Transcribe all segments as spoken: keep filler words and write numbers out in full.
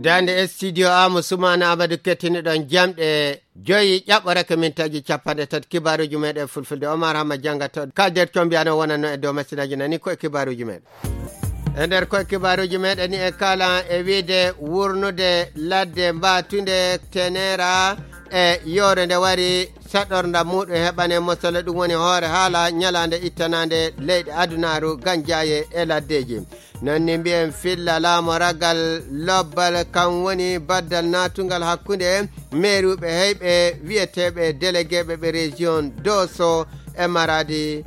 Daande studio Amu Sumana Amadu kettiniɗon jamɗe joyi ƴaɓɓorake mintaji capanɗe tati kibaruji meɗen fulfulde. Omar Hamma jangata kalder combi ano wonanno e dow masinaji nani koye kibaruji meɗen. E nder koye kibaruji meɗen ni e kala e wiide wurnude ladde mbatunde tenera e yore nde wari saɗornda muɗum heɓane mosole ɗum woni hoore haala ñalande ittanande leyɗe adunaru ganjaye e laddeji. Non ni mbiyen filla laamoragal lobbal kan woni baddal natungal hakkunde meeruɓe heyɓe wiyeteɓe déléguéɓe ɓe région doso e maradi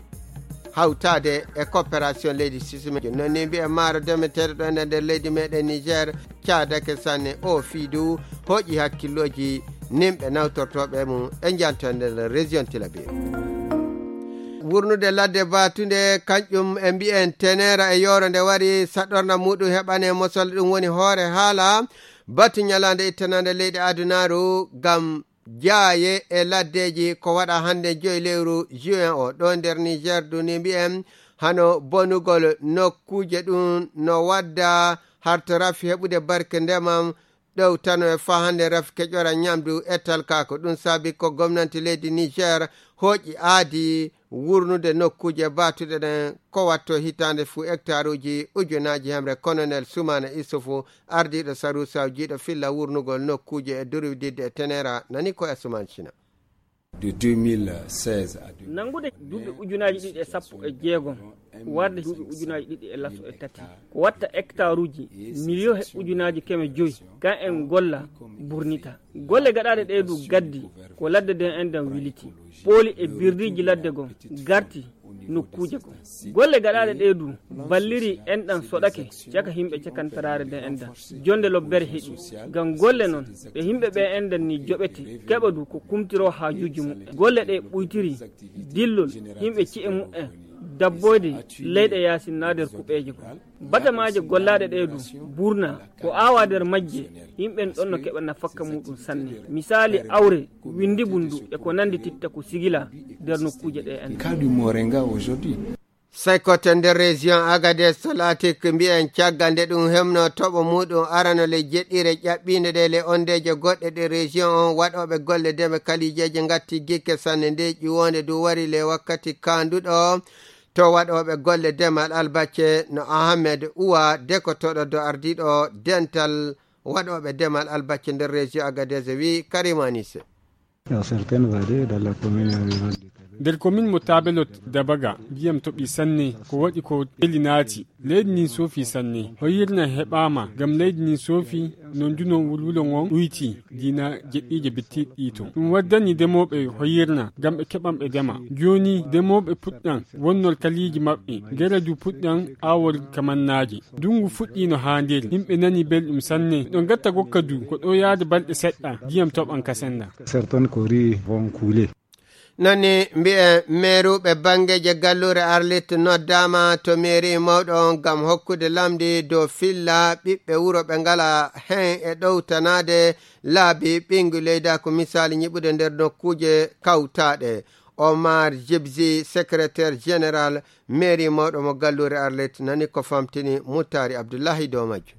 hawtade e coopération leydi sisime. Non ni mbiyen maaro demeteɗo ɗo e nder leydi meɗen niger caadake sanne o fiidu hoƴi hakkilloji nimɓe nawtortoɓe mum e janto e nder région tilabir. Wurnude ladde batunde kanƴum e mbiyen tenera e yoro nde wari saɗorna muɗum heɓane mosol ɗum woni hoore haala batu ñalande ittanande leyɗe adunaru ngam jaaye e laddeji ko waɗa hande joyi lewru juin o ɗo nder niger duni mbiyen hano bonugol nokkuje ɗum no wadda harto rafi heɓude barke ndemam ɗowtano e fahande rafke ƴora ñamdu e talkako. Ɗum saabi ko gomnanti leydi niger hoƴi aadi wurnude nokkuje batuɗe ɗen ko watto hitande fuu hectaruji ujunaji hemre. Colonel sumana isufu ardiɗo sarusaw jiiɗo filla wurnugol nokkuje e durwididde e tenera nani ko e suman cina. Nanngude duuɓi ujunaaji ɗiɗi e sappo e jeegom warde duuɓi ujunaaji ɗiɗi e laso e tati ko watta hectaruji miliyo he ujunaaji keme joyi kan en golla burnita. Golle gaɗaaɗe ɗee du gaddi ko ladde nden enɗan wiliti pooli e birdiiji ladde gon garti nokkuuje goo. Golle gaɗaaɗe ɗee du balliri enɗan soɗake caka yimɓe cakantaraare nden enɗan. Jonde lobbere heƴi ngam golle non ɓe yimɓe ɓee enɗan ni joɓete keɓa du ko kumtiroo haajuuji muɓɓen. Golle ɗee ɓuytiri dillol yimɓe ci'e muɓɓen dabboyde leyɗe yaasin naa der kuɓeeje goo. Batamaaje gollaaɗe ɗee du burna ko aawaa der majje yimɓen ɗon no keɓa nafakka muuɗum sanne. Misaali awre winndibun du e ko nanndi titta ko sigilaa der nokkuuje ɗee enɗan. Sey koten nder région agades to latik mbiyen caggal nde ɗum hemno toɓo muɗum arano le jeɗɗire ƴaɓɓinde ɗe le ondeje goɗɗe ɗe région on waɗoɓe golle deme kalijeje gatti gikke sanne nde ƴiwonde du wari le wakkati kanduɗo to waɗoɓe golle demal albacce no ahamed uwa dekotoɗo do ardiɗo dental waɗoɓe demal albacce nder région agades wi karimanise. Nder komin mo tabelot dabaga ndiyam toɓi sanne ko waɗi ko teli naati leydi ndin soofi sanne hoyirna heɓaama ngam leydi ndin soofi no nduno wulwulo ngon ɗuyti dina jeɗɗiije bittiɗɗi to ɗum waddani demooɓe hoyirna ngam ɓe keɓan ɓe dema jooni demooɓe puɗɗan wonnol kaliiji maɓɓe ngera du puɗɗan awol kamannaaje. Ndungu fuɗɗiino haa nder, yimɓe nani belɗum sanne. Ɗo ngatta gokka du, ko ɗo yaade balɗe seɗɗa, ndiyam toɓan ka senda. Nani mbi'e meeruɓe banngeeje galluure Arlit noddaama to meeri mawɗo on ngam hokkude lamndi dow filla ɓiɓɓe wuro ɓe ngala heen e ɗowtanaade laabi ɓiyngu leydaku misaali ñiɓude nder nokkuuje kawtaaɗe. Omar Jibzi, secrétaire général meeri mawɗo mo galluure Arlit nani ko famtini Muttaari Abdullahi dow majjum.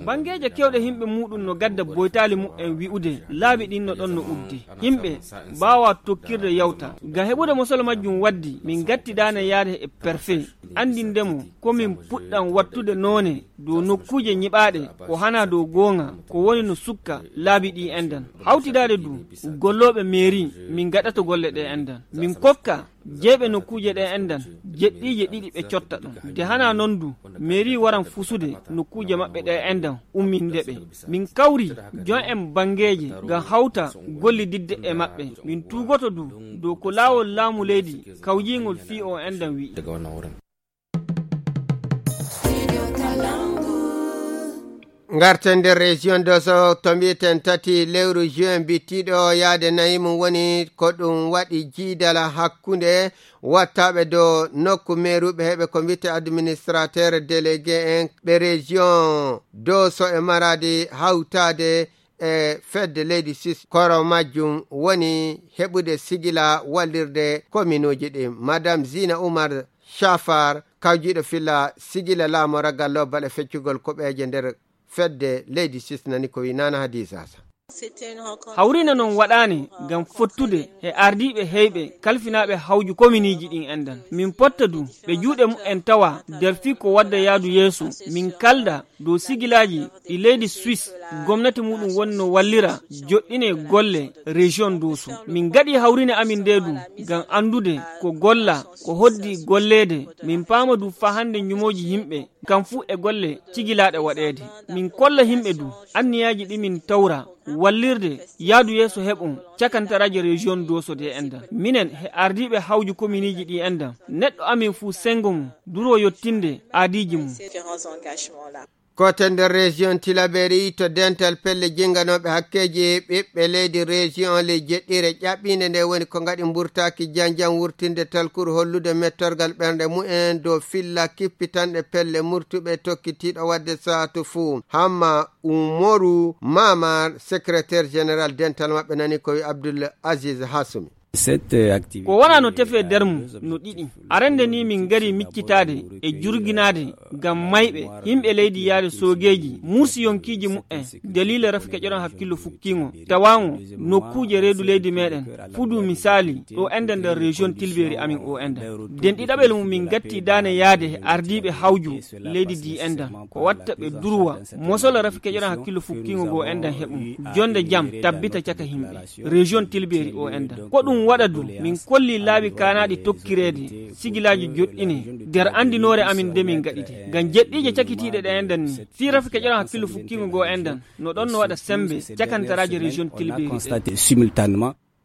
Banngeeje keewɗe yimɓe muuɗum no gadda boytaali muɓɓen wi'ude laabi ɗin no ɗon no uddi. Yimɓe mbaawaa tokkirde yawta. Ngam heɓude mosol majjum waddi min ngattidaane yaade e perfe anndinde mo ko min puɗɗan wattude noone dow nokkuuje ñiɓaaɗe ko hanaa dow goonga ko woni no sukka laabi ɗii enɗan. Hawtidaade du gollooɓe meeri min ngaɗata golle ɗee enɗan. Min kokka jeyɓe nokkuuje ɗee enɗan jeɗɗiije ɗiɗi ɓe cotta ɗum. Nde hanaa non du meeri waran fusude nokkuuje maɓɓe ɗee enɗan umminde ɓe. Min kawri jon en banngeeje ngam hawta gollididde e maɓɓe. Min tuugoto du dow ko laawol laamu leydi kawjiingol fii oo enɗan wi'i. Ngarten nder région doso to mbi'eten tati lewru juin bittiɗo yaade nayi mum woni ko ɗum waɗi jiidala hakkunde wattaɓe dow nokku meeruɓe heɓe ko mbi'ete administrateur délégué en ɓe région doso e maradi hawtade e fedde leydi sis koro majjum woni heɓude sigila wallirde kominuuji ɗin. Madame Zina Oumar Chafar kawjiiɗo filla sigila laamoragal lobbal e feccugol koɓeeje nder fedde leydi Suisse nani ko wi Nana Hadiza Sa. Hawrine noon waɗaani ngam fottude e ardiiɓe heyɓe kalfinaaɓe hawju kominiiji ɗin enɗan. Min potta du ɓe juuɗe mumen tawa nder fii ko wadda yaadu yeeso. Min kalda dow sigilaaji ɗi leydi Suisse gomnati muɗum woni no wallira joɗɗine golle région Doso. Min gaɗi hawrine amin nde du ngam anndude ko golla, ko hoddi golleede. Min paama du faa hannde ñumooji yimɓe kam fuu e golle cigilaaɗe waɗeede. Min kolla yimɓe du anniyaaji ɗi min tawra wallirde yaadu yeeso heɓon cakantaraaji région Doso de enɗan. Minen he ardiiɓe hawju kominiiji ɗi enɗan, neɗɗo amin fuu senngo mum duroo yottinde aadiiji mum. Kote nder région Tilaberi to dental pelle jinganooɓe hakkeeji ɓiɓɓe leydi région le jeɗɗire ƴaɓɓiinde nde woni ko ngaɗi mburtaaki janjan wurtinde talkuru hollude mettorgal ɓernde mumen dow filla kippitanɗe pelle murtuɓe tokkitiiɗo waɗde saatu fuu. Hamma Umoru Mamar, secrétaire général dental maɓɓe nani ko wi Abdul Aziz Hasumi. Ko wona no tefee nder mum no ɗiɗi. Arande ni min ngari miccitaade e jurginaade ngam mayɓe, yimɓe leydi yaade soogeeji, mursi yonkiiji mumen, daliila rafi keƴoɗon hakkillo fukkiingo, tawaango nokkuuje reedu leydi meɗen, fudu misaali, ɗo enɗan nder région Tilbeeri amin o enɗan. Den ɗiɗaɓel mum min gatti daane yaade e ardiiɓe hawju leydi di enɗan. Ko watta ɓe durwa, mosola rafi keƴoɗon hakkillo fukkiingo goo enɗan heɓum. Jonde jam tabbita caka yimɓe. Région Tilbeeri o enɗan. Ko ɗum waɗa du, min kolli laabi kaanaaɗi tokkireede, sigilaaji joɗɗine, nder anndinoore amin de min gaɗide. Ngam jeɗɗiije cakitiiɗe ɗe enɗan ni, fii rafi keƴoɗon hakkillo fukkiingo goo enɗan, no ɗon no waɗa sembe, cakantaraaji région Tilbeeri.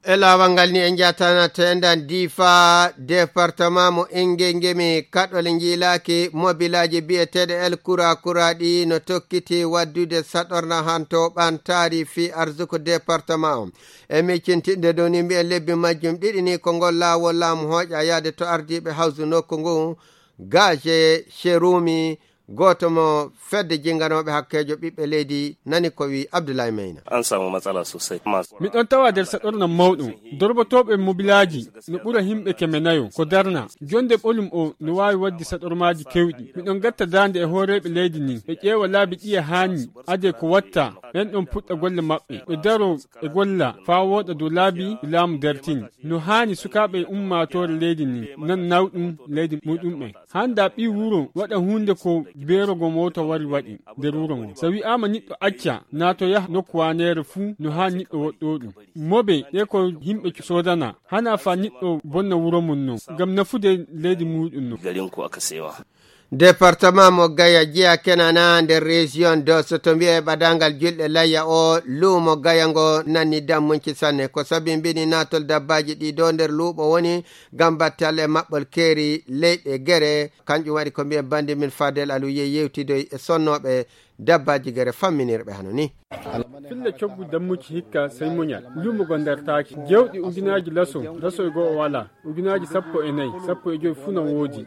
E laawal ngal ni en njatana tendan Difa, département mo Ingengemi, kaɗɗole njiilaaki, mobilaaji biyeteeɗe El Kura Kura ɗi no tokkiti waddude saɗorna hanto ɓantaari fii arsuku département o. E miccintinde dow ni mbiyen lebbi majjum ɗiɗi ni ko ngol laawol laamu hooƴa yaade to ardiiɓe hawsu nokku ngu, Gaje Sherumi, gooto mo fedde jinganooɓe hakkeejo ɓiɓɓe leydi nani ko wi Abdoulaye Meyna. An samu matsala sosai. Mas- Mi ɗon tawa nder saɗorna mawɗo. Dorbotooɓe mobilaaji no ɓura yimɓe keme nayo ko darna. Jonde ɓolum o no waawi waɗde saɗormaaji kewɗi. Mi ɗon gatta daande e hooreeɓe leydi ndin. Ɓe ƴeewa laabi ɗiye haani ade ko watta. Ɓen ɗon puɗɗa golle maɓɓe. Ɓe daro e golla faa wooɗa dow laabi ɗi laamu dartini. No haani sukaaɓe e ummaatoore leydi ndin nan nawɗum leydi muɗumɓe. Hannda ɓii wuro waɗa huunde ko beerogo moota wari waɗi nder wuro ngon. So wi'aama niɗɗo acca naato yaha nokku waaneere fuu no haa niɗɗo woɗɗoo ɗum. Mobe ɗe ko yimɓe soodana, hana fa niɗɗo bonna wuro mum non, ngam nafude leydi muuɗum non. Garin ku aka sewa. Département mo Gaya jeya kenana nder région Dosso to mbi'e ɓadangal julɗe layya o luumo Gaya ngo nanni dammunci sanne. Ko sabi mbini naatol dabbaji ɗi do nder luuɓo woni ngam batte Allah e maɓɓol keeri leyɗe gere. Kanƴum waɗi ko mbiyen bandi min Fadel Alu yehi yewtidoy e sonnooɓe dabbaaji gere famminirɓe hano ni. Filla coggu dammuci hikka sey muñal. Luumo go ndartaaki. Jewɗi ujunaaji laso, laso e go'o walaa. Ujunaaji sappo e nayi, sappo e joy fuu na woodi.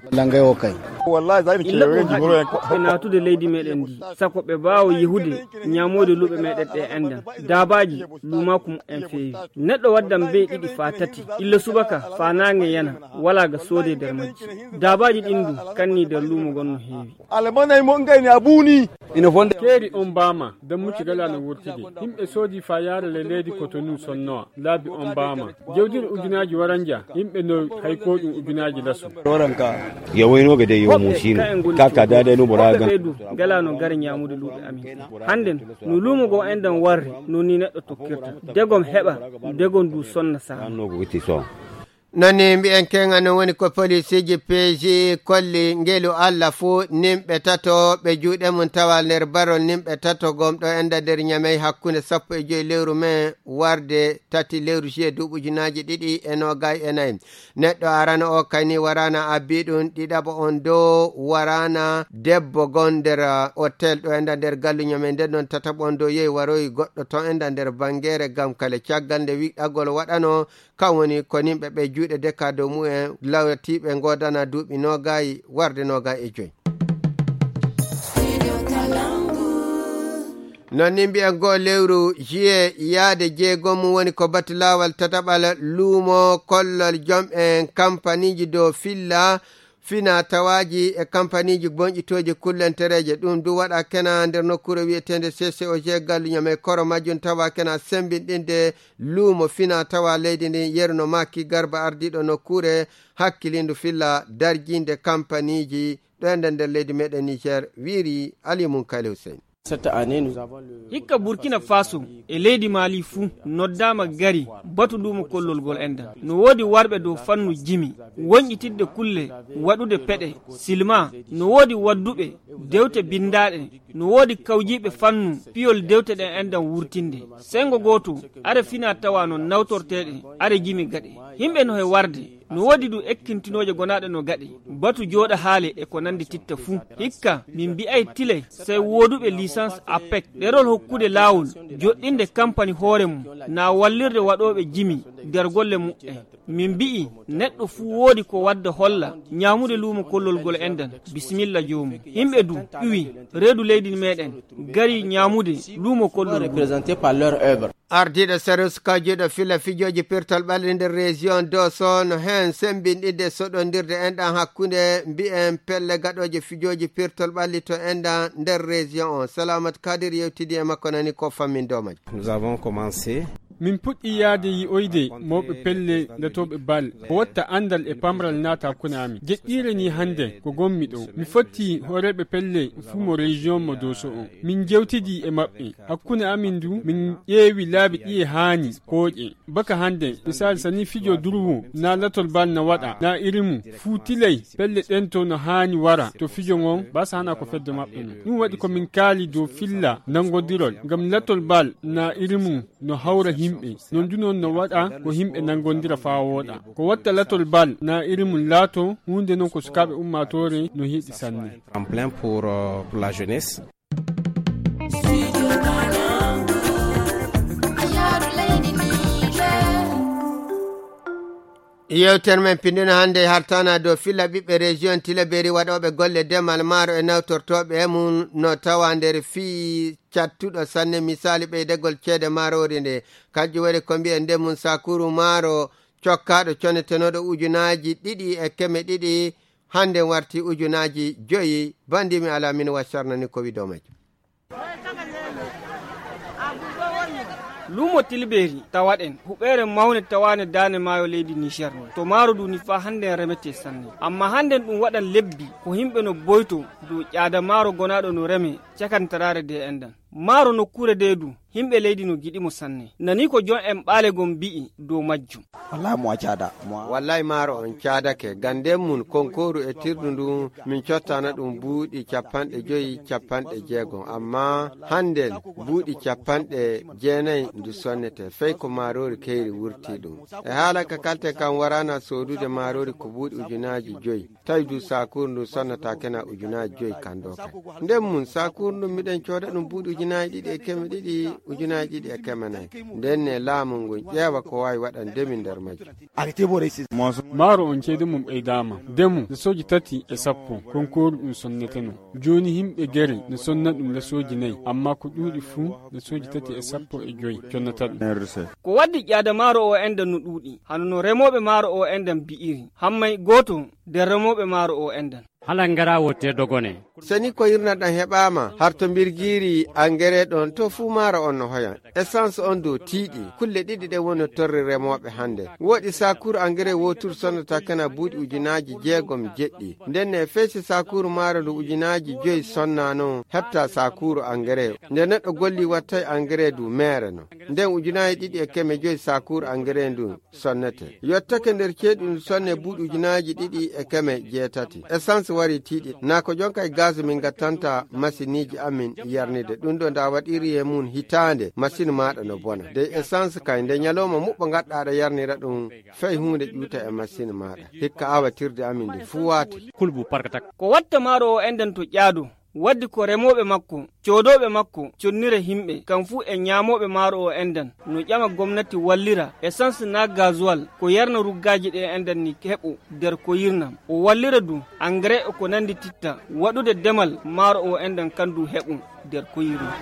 Illa ɗum haɗi ɓe naatude leydi meɗen ndi. Sako ɓe mbaawa yehude ñaamoyde luuɓe meɗen ɗe enɗan. Daabaaji luumaaku mumen feewi. Neɗɗo waddan be'i ɗiɗi faa tati. Illa subaka faa naange yana. Walaa ga soodee nder majji. Daabaaji ɗin du kannii nder luumo ngon no heewi. Alamanay mo ngayni a buuni. Ina fonde. Keeri on mbaama, dammucci gala no wurtide. Yimɓe soodi faa yaara le leydi Kotonu sonnowa. Laabi on mbaama. Jewdiri ujunaaji waranja, yimɓe no hay ko ɗum ujunaaji laso. Doranka. Yawaino ga dai yau musino. Kaka da dai no bora ga. Ɓe du gala no gara ñaamude luuɓe amin. Hannden, no luumo go enɗan warri, no ni neɗɗo tokkirta. Degom heɓa, degom du sonna saa. Anno ko gitti so. Nani mbi'en keŋa no woni ko polisiiji peeji kolli ngelu Allah fuu nimɓe tato ɓe juuɗe mum tawa nder barol nimɓe tato gom ɗo enda nder ñamey hakkunde sappo e joy lewru mai warde tati lewru juillet duuɓi ujunaaji ɗiɗi e noogay e nayi. Neɗɗo arano o kayni warana abbi ɗum ɗiɗaɓo on dow warana debbo gon nder hotel ɗo enda nder gallu ñamey nden non tataɓo on dow yehi waroyi goɗɗo ton enda nder bangere gam kale caggal nde wiɗɗagol waɗano. Kam woni ko nimɓe ɓe juuɗe deka dow mumen lawatiiɓe ngoodana duuɓi noogaayi warde noogaayi e joy. Non ni mbiyen goo lewru juillet yaade jeegom mum woni ko batu laawal tataɓal luumo kollol jom en kampaniiji dow filla Fina tawaaji e kampaniiji goñƴitooji kullentereeje, ɗum du waɗa kena nder nokkuure wiyeteende C C O G Galluñam e koro majjum tawa kena sembinɗinde luumo fina tawa leydi ndin, yeru no Maki Garba ardiiɗo nokkuure hakkilindu filla darjiinde kampaniiji ɗo e nder, nder leydi meɗen Niger, wiiri Ali Munkali Hussein. Cette année, nous avons le Hikka Burkina Faso e leydi Mali fuu noddaama gari batu luumo kollol ngol enɗan. No woodi warɓe dow fannu jimi, woñƴitidde kulle, waɗude peɗe, silma. No woodi wadduɓe dewte binndaaɗe, no woodi kawjiiɓe fannu piyol dewte ɗen enɗan wurtinde. Senngo gooto, are fina tawa no nawtorteeɗe, are jimi gaɗe. Yimɓe no he warde, no woodi du ekkintinooje gonaaɗe no gaɗe. Batu jooɗa haale e ko nandi titta fuu. Hikka, min mbi'ay tilay, sey wooduɓe licence apec, ɗerol hokkude laawol, joɗɗinde kampani hoore mum, na wallirde waɗooɓe jimi nder golle muɓɓen. Min mbi'i, neɗɗo fuu woodi ko wadda holla, ñaamude luumo kollol ngol enɗan, bisimilla joomum. Yimɓe du, ƴuwi, reedu leydi meɗen, gari ñaamude luumo kollol ngol. Représenté par leur œuvre. Ardiiɗo Sarus Kajuɗo filla fijooji pirtol ɓalli nder région Doso no heen semmbinɗinde soɗondirde enɗan hakkunde mbi'en pelle gaɗooje fijooji pirtol ɓalli to enɗan nder région on. Salamat Kadir yewtidi e makko, nani ko fammin dow majjum. Nous avons commencé. Min puɗɗi yaade yi'oyde mawɓe pelle latooɓe bal. Ko watta anndal e pamral naata hakkunde amin. Jeɗɗiire ni hannde ko gonmi ɗo. Mi fotti hooreeɓe pelle fuu mo région mo Doso on. Min jewtidi e maɓɓe. Hakkunde amin du, min ƴeewi laabi ɗi e haani kooƴe. Baka hannde, misaali, sani fijo durwu, na latol bal na waɗa, na iri mum, fuu tilay, pelle ɗen to no haani wara, to fijo ngon, basa hana ko fedde maɓɓe non. Ɗum waɗi ko min kaali dow filla nanngodirol, ngam latol bal na iri mum no hawra himɓe. Non du non no waɗa ko himɓe nanngondira faa wooɗa. Ko watta latol bal na iri mum laato huunde non ko sukaaɓe ummaatoore no hiɗi sanne. Tremplin pour, euh, pour la jeunesse. Yewtere men pinndino hannde hartana dow filla ɓiɓɓe région Tilaberi waɗooɓe golle demal maaro e nawtortooɓe e mum no tawa nder fii cattuɗo sanne, misaali ɓeydegol ceede maaroori nde. Kanjum waɗi ko mbiyen nde mum sakuru maaro cokkaaɗo conetenooɗo ujunaaji ɗiɗi e keme ɗiɗi, hannde warti ujunaaji joyi. Bandi mi alaa min waccarnani ko wiɗo majjum. Luumo Tilbeeri tawaɗen huɓeere mawne tawaane daane maayo leydi Niger. To maaro du ni faa hannden remetee sanne. Amma hannden ɗum waɗan lebbi ko himɓe no boyto dow ƴaada maaro gonaaɗo no reme cakantaraare de enɗan. Maaro nokkuure de du, himɓe leydi no giɗi mo sanne. Nani ko jon en ɓaale gon mbi'i dow majjum. Wallaahi mo a caada. Mo a Wallaahi maaro on caadake, ganden mun konkooru e tirdu ndu min cottana ɗum buuɗi capanɗe joyi, capanɗe jeegom. Amma hannden buuɗi capanɗe jeenayi ndu sonnete, fey ko maaroori keyri wurti ɗum. E haala ka kalte kan waraana soodude maaroori ko buuɗi ujunaaji joyi. Tawi du saakuur ndu sonnata kena ujunaaji joyi kan ɗo kan. Nden mun saakuur ndu miɗen cooda ɗum buuɗi ujunaaji ɗiɗi e keme ɗiɗi, ujunaaji ɗiɗi e keme nayi. Nden ne laamu ngun ƴeewa ko waawi waɗande min nder majjum. Maaro on ceede mum ɓeydaama. Ndemu lesooji tati e sappo konkooru ɗum sonneteno. Jooni himɓe gere no sonna ɗum lesooji nayi, amma ko ɗuuɗi fuu lesooji tati e sappo e joyi connata ɗum. Ko waddi ƴaada maaro o enɗan no ɗuuɗi, hano no remooɓe maaro o enɗan mbi'iri. Hammay gooto nder remooɓe maaro o enɗan. Hala ngara wotte dogone. Seni ko hirnaɗan heɓaama, harto mbirgiiri angere ɗon to fuu maaro on no hoyan. Essence on dow tiiɗi, kulle ɗiɗi ɗen woni torri remooɓe hannde. Woodi saakuuru angere wootuuru sonnata kena buuɗi ujunaaji jeegom jeɗɗi. Nden ne fey si saakuuru maaro ndu ujunaaji joyi sonna non heɓta saakuuru angere. Nde neɗɗo golli wattay angere du meere non. Nden ujunaaji ɗiɗi e keme joyi saakuuru angere ndu sonnete. Yottake nder ceeɗu ndu sonne buuɗi ujunaaji ɗiɗi e keme jeetati. Essence wari tiiɗi. Naa ko jonka e gaz min gattanta masiniiji amin yarnide. Ɗum ɗo nda waɗiri e mum hitaande, masini maaɗa no bona. Dey essence kay nde ñalawma muɓɓo ngaɗɗa aɗa yarnira ɗum, fey huunde ƴuuta e masini maaɗa. Hikka awatirde amin ndi fuu waati. Kulbu parkatak. Ko watta maaro o enɗan to ƴaado. Waddi ko remooɓe makko, coodooɓe makko, connira himɓe, kam fuu e ñaamooɓe maaro o enɗan, no ƴama gomnati wallira essence naa gasoil, ko yarna ruggaaji ɗe enɗan ni heɓo nder ko yirnam. O wallira du engrais e ko nandi titta, waɗude demal maaro o enɗan kan du heɓo nder ko yirnam.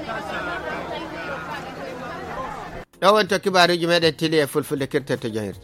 Ɗo woni to kibaaruuji meɗen tili e fulfulde kirtete jahirde.